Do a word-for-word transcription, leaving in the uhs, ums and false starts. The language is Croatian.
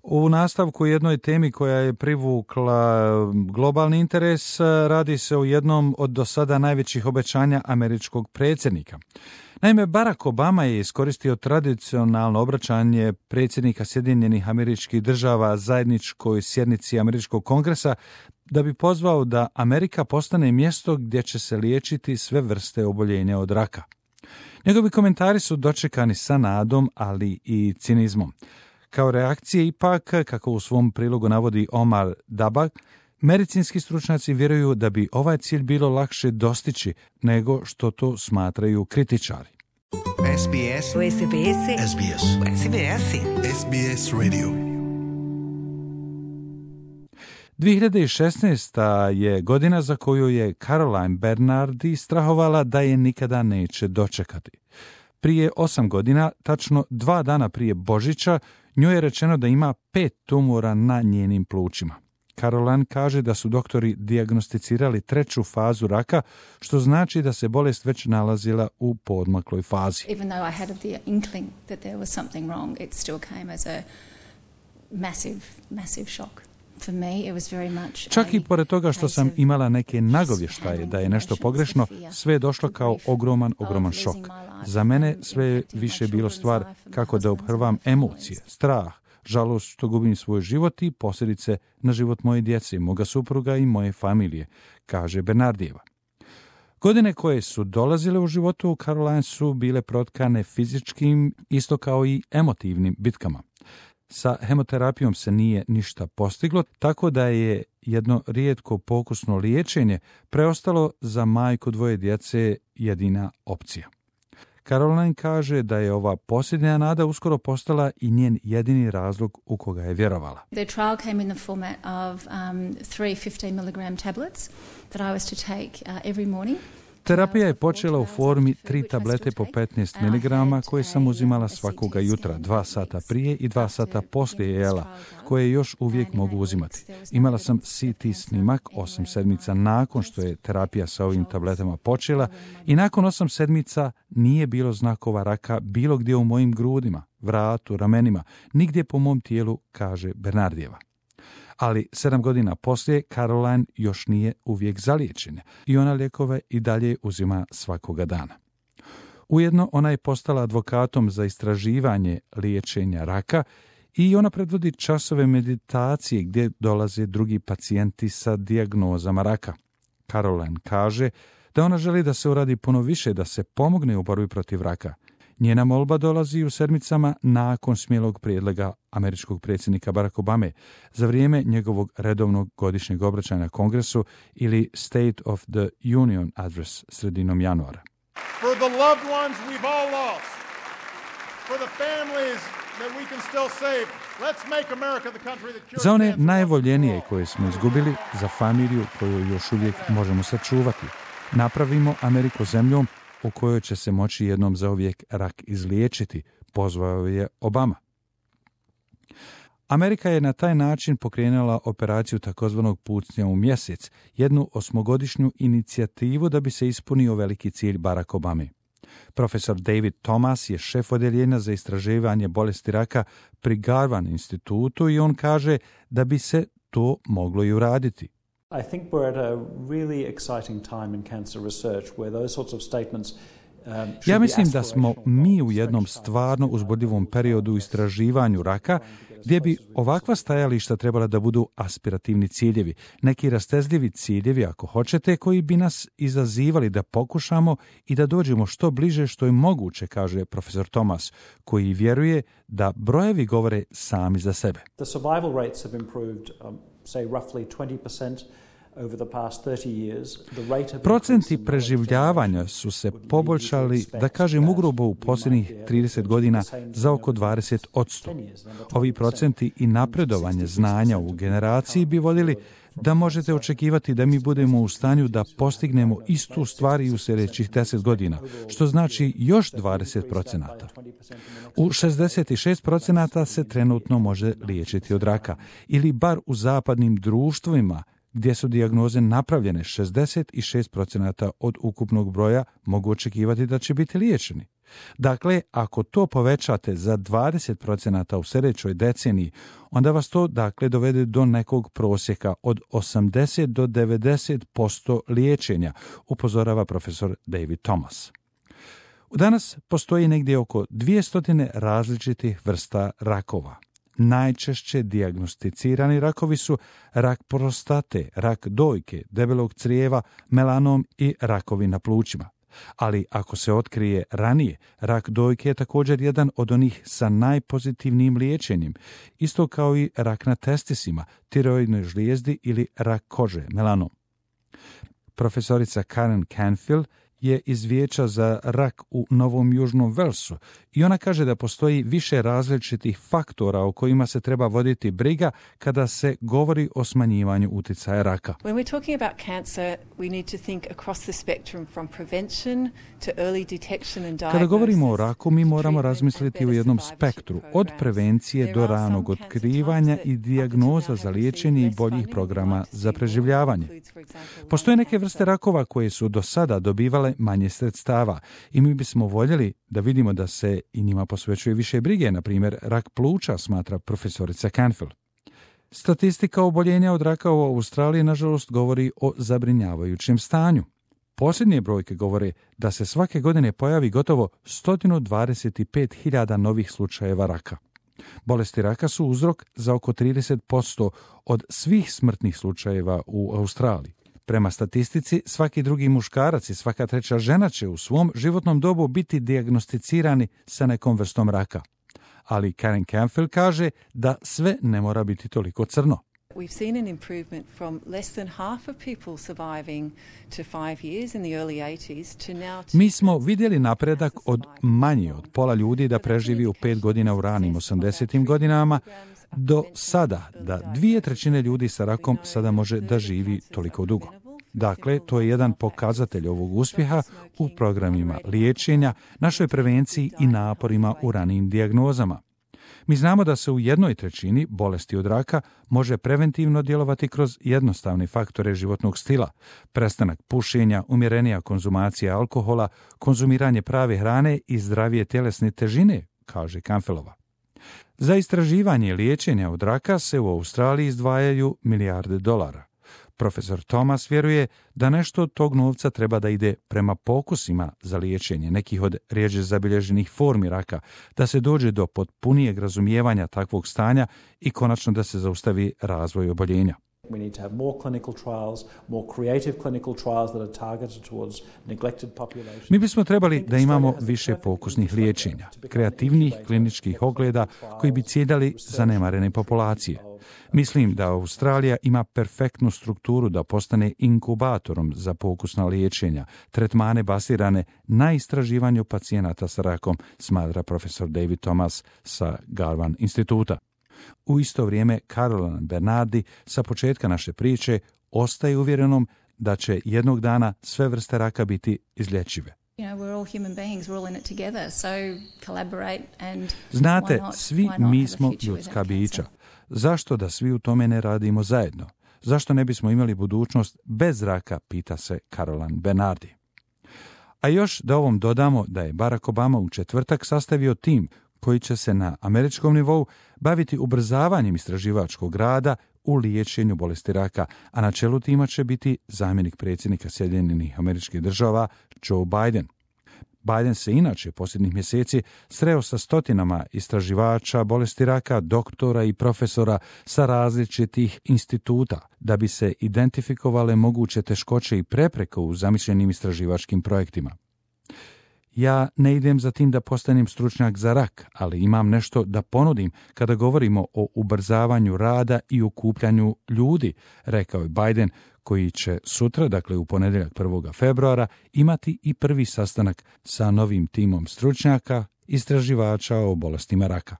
U nastavku jednoj temi koja je privukla globalni interes, radi se o jednom od do sada najvećih obećanja američkog predsjednika. Naime, Barack Obama je iskoristio tradicionalno obraćanje predsjednika Sjedinjenih Američkih Država zajedničkoj sjednici Američkog kongresa da bi pozvao da Amerika postane mjesto gdje će se liječiti sve vrste oboljenja od raka. Njegovi komentari su dočekani sa nadom, ali i cinizmom. Kao reakcije ipak, kako u svom prilogu navodi Omar Dabak, medicinski stručnjaci vjeruju da bi ovaj cilj bilo lakše dostići nego što to smatraju kritičari. S B S S B S S B S S B S S B S Radio. dvije hiljade šesnaesta. je godina za koju je Caroline Bernardi strahovala da je nikada neće dočekati. Prije osam godina, tačno dva dana prije Božića, njoj je rečeno da ima pet tumora na njenim plućima. Caroline kaže da su doktori dijagnosticirali treću fazu raka, što znači da se bolest već nalazila u poodmakloj fazi. Even though I had the inkling that there was something wrong, it still came as a massive, massive shock. For me, it was very much. Čak i pored toga što sam imala neke nagovještaje da je nešto pogrešno, sve je došlo kao ogroman, ogroman šok. Za mene sve je više bilo stvar kako da obhrvam emocije, strah, žalost što gubim svoj život i posljedice na život moje djece, moga supruga i moje familije, kaže Bernardijeva. Godine koje su dolazile u životu u Caroline su bile protkane fizičkim, isto kao i emotivnim bitkama. Sa hemoterapijom se nije ništa postiglo, tako da je jedno rijetko pokusno liječenje preostalo za majku dvoje djece jedina opcija. Caroline kaže da je ova posljednja nada uskoro postala i njen jedini razlog u koga je vjerovala. The trial came in the format of um, three fifteen milligram tablets that I was to take uh, every morning. Terapija je počela u formi tri tablete po petnaest miligrama koje sam uzimala svakoga jutra, dva sata prije i dva sata poslije jela, koje još uvijek mogu uzimati. Imala sam C T snimak osam sedmica nakon što je terapija sa ovim tabletama počela i nakon osam sedmica nije bilo znakova raka bilo gdje u mojim grudima, vratu, ramenima, nigdje po mom tijelu, kaže Bernardijeva. Ali sedam godina poslije Caroline još nije uvijek zaliječena i ona lijekove i dalje uzima svakoga dana. Ujedno ona je postala advokatom za istraživanje liječenja raka i ona predvodi časove meditacije gdje dolaze drugi pacijenti sa dijagnozama raka. Caroline kaže da ona želi da se uradi puno više da se pomogne u borbi protiv raka. Njena molba dolazi u sedmicama nakon smjelog prijedloga američkog predsjednika Barack Obame za vrijeme njegovog redovnog godišnjeg obraćanja Kongresu ili State of the Union Address sredinom januara. For the loved ones we've all lost, for the families that we can still save, let's make America the country that cures. Za one najvoljenije koje smo izgubili, za familiju koju još uvijek možemo sačuvati, napravimo Ameriku zemljom u kojoj će se moći jednom zauvijek rak izliječiti, pozvao je Obama. Amerika je na taj način pokrenula operaciju takozvanog pucnja u mjesec, jednu osmogodišnju inicijativu da bi se ispunio veliki cilj Barack Obame. Profesor David Thomas je šef odjeljenja za istraživanje bolesti raka pri Garvan institutu i on kaže da bi se to moglo i uraditi. I think we're at a really exciting time in cancer research where those sorts of statements um, Ja mislim da smo mi u jednom stvarno uzbudljivom periodu u istraživanju raka gdje bi ovakva stajališta trebala da budu aspirativni ciljevi, neki rastezljivi ciljevi ako hoćete koji bi nas izazivali da pokušamo i da dođemo što bliže što je moguće, kaže profesor Thomas, koji vjeruje da brojevi govore sami za sebe. The survival rates have improved um, say roughly twenty percent. Procenti preživljavanja su se poboljšali, da kažem ugrubo, u posljednjih trideset godina za oko dvadeset posto. Ovi procenti i napredovanje znanja u generaciji bi vodili da možete očekivati da mi budemo u stanju da postignemo istu stvar i u sljedećih deset godina, što znači još dvadeset procenata. U šezdeset šest procenata se trenutno može liječiti od raka, ili bar u zapadnim društvima gdje su dijagnoze napravljene, šezdeset šest procenata od ukupnog broja mogu očekivati da će biti liječeni. Dakle, ako to povećate za dvadeset procenata u sljedećoj deceniji, onda vas to dakle dovede do nekog prosjeka od osamdeset do devedeset posto liječenja, upozorava profesor David Thomas. Danas postoji negdje oko dvjesto različitih vrsta rakova. Najčešće dijagnosticirani rakovi su rak prostate, rak dojke, debelog crijeva, melanom i rakovi na plućima. Ali ako se otkrije ranije, rak dojke je također jedan od onih sa najpozitivnijim liječenjem, isto kao i rak na testisima, tiroidnoj žlijezdi ili rak kože, melanom. Profesorica Karen Canfield je iz Vijeća za rak u Novom Južnom Velsu i ona kaže da postoji više različitih faktora o kojima se treba voditi briga kada se govori o smanjivanju utjecaja raka. When we're talking about cancer, we need to think across the spectrum from prevention to early detection and diagnosis. Kada govorimo o raku, mi moramo razmisliti u jednom spektru, od prevencije do ranog otkrivanja i dijagnoza za liječenje i boljih programa za preživljavanje. Postoje neke vrste rakova koje su do sada dobivale manje sredstava i mi bismo voljeli da vidimo da se i njima posvećuje više brige, na primjer rak pluća, smatra profesorica Canfield. Statistika oboljenja od raka u Australiji nažalost govori o zabrinjavajućem stanju. Posljednje brojke govore da se svake godine pojavi gotovo sto dvadeset pet hiljada novih slučajeva raka. Bolesti raka su uzrok za oko trideset posto od svih smrtnih slučajeva u Australiji. Prema statistici, svaki drugi muškarac i svaka treća žena će u svom životnom dobu biti dijagnosticirani sa nekom vrstom raka. Ali Karen Canfield kaže da sve ne mora biti toliko crno. We've seen an improvement from less than half of people surviving to five years in the early eighties to now to... Mi smo vidjeli napredak od manje od pola ljudi da preživi u pet godina u ranim osamdesetim godinama do sada da dvije trećine ljudi sa rakom sada može da živi toliko dugo. Dakle, to je jedan pokazatelj ovog uspjeha u programima liječenja, našoj prevenciji i naporima u ranijim dijagnozama. Mi znamo da se u jednoj trećini bolesti od raka može preventivno djelovati kroz jednostavne faktore životnog stila, prestanak pušenja, umjerenija konzumacija alkohola, konzumiranje prave hrane i zdravije tjelesne težine, kaže Canfieldova. Za istraživanje liječenja od raka se u Australiji izdvajaju milijarde dolara. Profesor Thomas vjeruje da nešto od tog novca treba da ide prema pokusima za liječenje nekih od rjeđe zabilježenih formi raka, da se dođe do potpunijeg razumijevanja takvog stanja i konačno da se zaustavi razvoj oboljenja. We need to have more clinical trials, more creative clinical trials that are targeted towards neglected populations. Mi bismo trebali da imamo više pokusnih liječenja, kreativnih kliničkih ogleda koji bi ciljali zanemarene populacije. Mislim da Australija ima perfektnu strukturu da postane inkubatorom za pokusna liječenja, tretmane basirane na istraživanju pacijenata sa rakom, smatra profesor David Thomas sa Garvan instituta. U isto vrijeme Caroline Bernardi sa početka naše priče ostaje uvjerenom da će jednog dana sve vrste raka biti izlječive. Znate, svi mi smo ljudska bića. Zašto da svi u tome ne radimo zajedno? Zašto ne bismo imali budućnost bez raka, pita se Caroline Bernardi. A još da ovom dodamo da je Barack Obama u četvrtak sastavio tim koji će se na američkom nivou baviti ubrzavanjem istraživačkog rada u liječenju bolesti raka, a na čelu tima će biti zamjenik predsjednika Sjedinjenih Američkih Država Joe Biden. Biden se inače posljednjih mjeseci sreo sa stotinama istraživača bolesti raka, doktora i profesora sa različitih instituta da bi se identifikovale moguće teškoće i prepreke u zamišljenim istraživačkim projektima. Ja ne idem za tim da postanem stručnjak za rak, ali imam nešto da ponudim kada govorimo o ubrzavanju rada i okupljanju ljudi, rekao je Biden, koji će sutra, dakle u ponedjeljak prvog februara, imati i prvi sastanak sa novim timom stručnjaka, istraživača o bolestima raka.